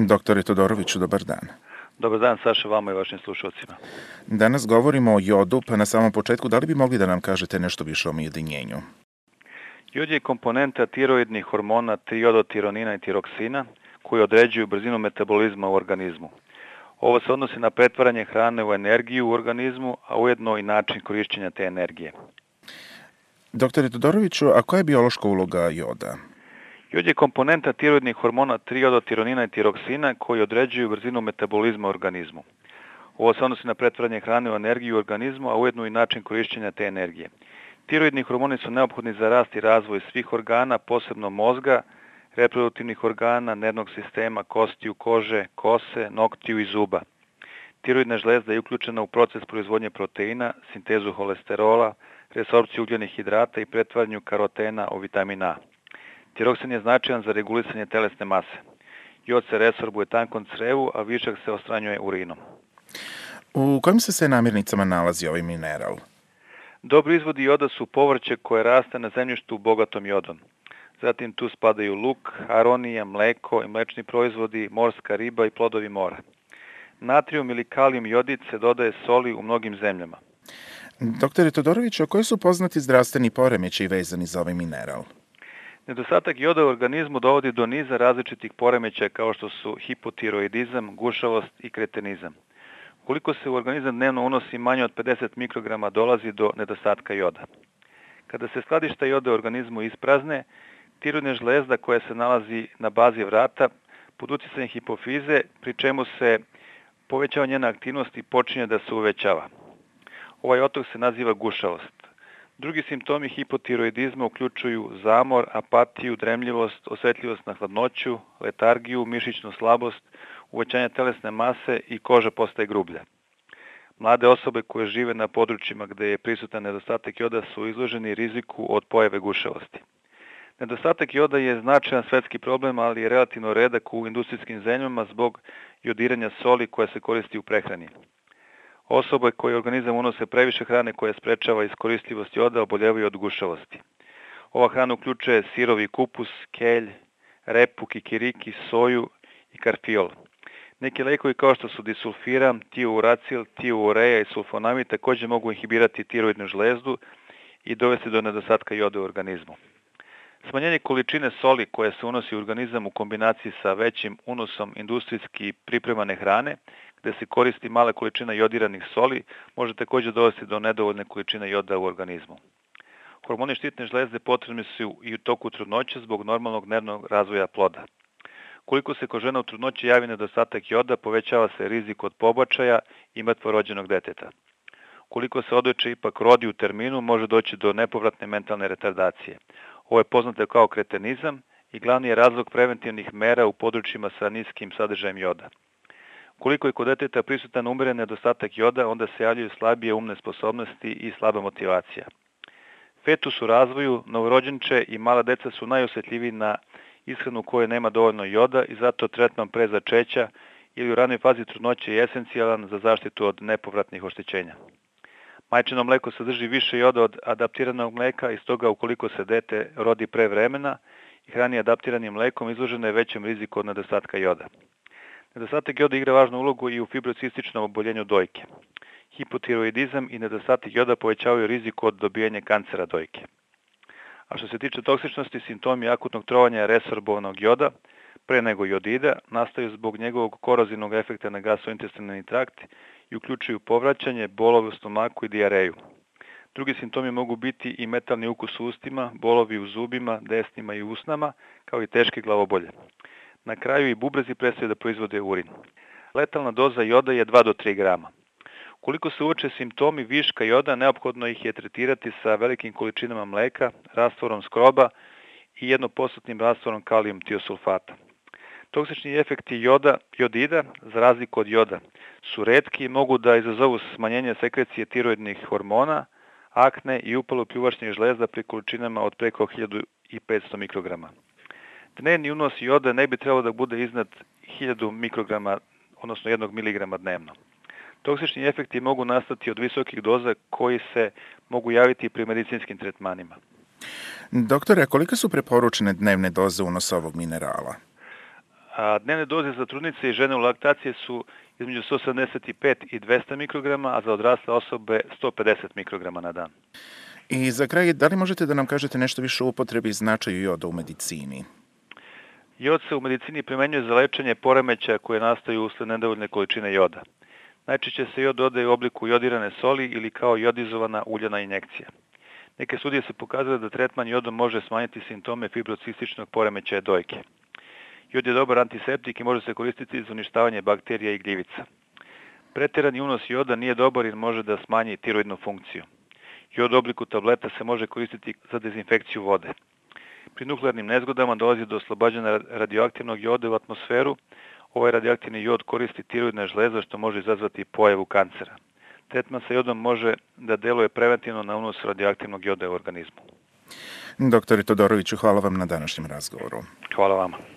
Doktore Todoroviću, dobar dan. Dobar dan, Saša, vama i vašim slušalcima. Danas govorimo o jodu, pa na samom početku da li bi mogli da nam kažete nešto više o jedinjenju? Jod je komponenta tiroidnih hormona triodotironina i tiroksina koji određuju brzinu metabolizma u organizmu. Ovo se odnosi na pretvaranje hrane u energiju u organizmu, a ujedno i način korišćenja te energije. Doktore Todoroviću, a koja je biološka uloga joda? Jod je komponenta tiroidnih hormona triodotironina i tiroksina koji određuju brzinu metabolizma u organizmu. Ovo se odnosi na pretvaranje hrane u energiju u organizmu, a ujedno i način korišćenja te energije. Tiroidni hormoni su neophodni za rast i razvoj svih organa, posebno mozga, reproduktivnih organa, nervnog sistema, kostiju, kože, kose, noktiju i zuba. Tiroidna žlezda je uključena u proces proizvodnje proteina, sintezu holesterola, resorpciju ugljenih hidrata i pretvaranju karotena u vitamin A. Tiroksin je značajan za regulisanje telesne mase. Jod se resorbuje tankom crevu, a višak se odstranjuje urinom. U kojim se namirnicama nalazi ovaj mineral? Dobri izvodi joda su povrće koje raste na zemljištu bogatom jodom. Zatim tu spadaju luk, aronija, mleko i mlečni proizvodi, morska riba i plodovi mora. Natrijum ili kalijum jodid se dodaje soli u mnogim zemljama. Doktore Todoroviću, koji su poznati zdravstveni poremećaji vezani za ovaj mineral? Nedostatak joda u organizmu dovodi do niza različitih poremećaja kao što su hipotiroidizam, gušavost i kretenizam. Ukoliko se u organizam dnevno unosi manje od 50 mikrograma, dolazi do nedostatka joda. Kada se skladišta joda u organizmu isprazne, tiroidna žlezda koja se nalazi na bazi vrata pod utjecajem hipofize, pri čemu se povećava njena aktivnost i počinje da se uvećava. Ovaj otok se naziva gušavost. Drugi simptomi hipotiroidizma uključuju zamor, apatiju, dremljivost, osjetljivost na hladnoću, letargiju, mišićnu slabost, uvećanje telesne mase i koža postaje grublja. Mlade osobe koje žive na područjima gde je prisutan nedostatak joda su izloženi riziku od pojave gušavosti. Nedostatak joda je značajan svetski problem, ali je relativno redak u industrijskim zemljama zbog jodiranja soli koja se koristi u prehrani. Osobe koje organizam unose previše hrane koja sprečava iskoristljivost joda oboljevaju od gušavosti. Ova hrana uključuje sirovi kupus, kelj, repu, kikiriki, soju i karfiol. Neki lekovi kao što su disulfiram, tiouracil, tioureja i sulfonamid također mogu inhibirati tiroidnu žlezdu i dovesti do nedostatka joda u organizmu. Smanjenje količine soli koja se unosi u organizam u kombinaciji sa većim unosom industrijski pripremane hrane, gde se koristi mala količina jodiranih soli, može također dovesti do nedovoljne količine joda u organizmu. Hormoni štitne žlezde potrebni su i u toku trudnoće zbog normalnog nervnog razvoja ploda. Koliko se kod žena u trudnoći javi nedostatak joda, povećava se rizik od pobačaja i mrtvorođenog deteta. Koliko se odojče ipak rodi u terminu, može doći do nepovratne mentalne retardacije. Ovo je poznato kao kretenizam i glavni je razlog preventivnih mera u područjima sa niskim sadržajem joda. Koliko je kod deteta prisutan umeren nedostatak joda, onda se javljaju slabije umne sposobnosti i slaba motivacija. Fetus u razvoju, novorođenče i mala deca su najosjetljiviji na ishranu u kojoj nema dovoljno joda i zato tretman pre začeća ili u ranoj fazi trudnoće je esencijalan za zaštitu od nepovratnih oštećenja. Majčino mleko sadrži više joda od adaptiranog mleka i stoga ukoliko se dete rodi pre vremena i hrani adaptiranim mlekom, izloženo je većem riziku od nedostatka joda. Nedostatak joda igra važnu ulogu i u fibrocističnom oboljenju dojke. Hipotiroidizam i nedostatak joda povećavaju riziku od dobijanja kancera dojke. A što se tiče toksičnosti, simptomi akutnog trovanja resorbovanog joda, pre nego jodida, nastaju zbog njegovog korozivnog efekta na gastrointestinalni trakt i uključuju povraćanje, bolove u stomaku i dijareju. Drugi simptomi mogu biti i metalni ukus u ustima, bolovi u zubima, desnima i usnama, kao i teške glavobolje. Na kraju i bubrezi prestaju da proizvode urin. Letalna doza joda je 2 do 3 grama. Koliko se uoče simptomi viška joda, neophodno ih je tretirati sa velikim količinama mleka, rastvorom skroba i 1% rastvorom kalijum tiosulfata. Toksični efekti jodida, za razliku od joda, su retki i mogu da izazovu smanjenje sekrecije tiroidnih hormona, akne i upalu pljuvačnih žlezda pri količinama od preko 1500 mikrograma. Dnevni unos joda ne bi trebalo da bude iznad 1000 mikrograma, odnosno 1 miligrama dnevno. Toksični efekti mogu nastati od visokih doza koji se mogu javiti pri medicinskim tretmanima. Doktore, a kolike su preporučene dnevne doze unosa ovog minerala? A dnevne doze za trudnice i žene u laktaciji su između 175 i 200 mikrograma, a za odrasle osobe 150 mikrograma na dan. I za kraj, da li možete da nam kažete nešto više o upotrebi i značaju joda u medicini? Jod se u medicini primenjuje za lečenje poremećaja koje nastaju usled nedovoljne količine joda. Najčešće se jod dodaje u obliku jodirane soli ili kao jodizovana uljana injekcija. Neke studije se pokazale da tretman jodom može smanjiti simptome fibrocističnog poremećaja dojke. Jod je dobar antiseptik i može se koristiti za uništavanje bakterija i gljivica. Pretjerani unos joda nije dobar jer može da smanji tiroidnu funkciju. Jod u obliku tableta se može koristiti za dezinfekciju vode. Pri nuklearnim nezgodama dolazi do oslobađanja radioaktivnog joda u atmosferu. Ovaj radioaktivni jod koristi tiroidna žleza što može izazvati pojavu kancera. Tretman sa jodom može da deluje preventivno na unos radioaktivnog joda u organizmu. Doktore Todoroviću, hvala vam na današnjem razgovoru. Hvala vama.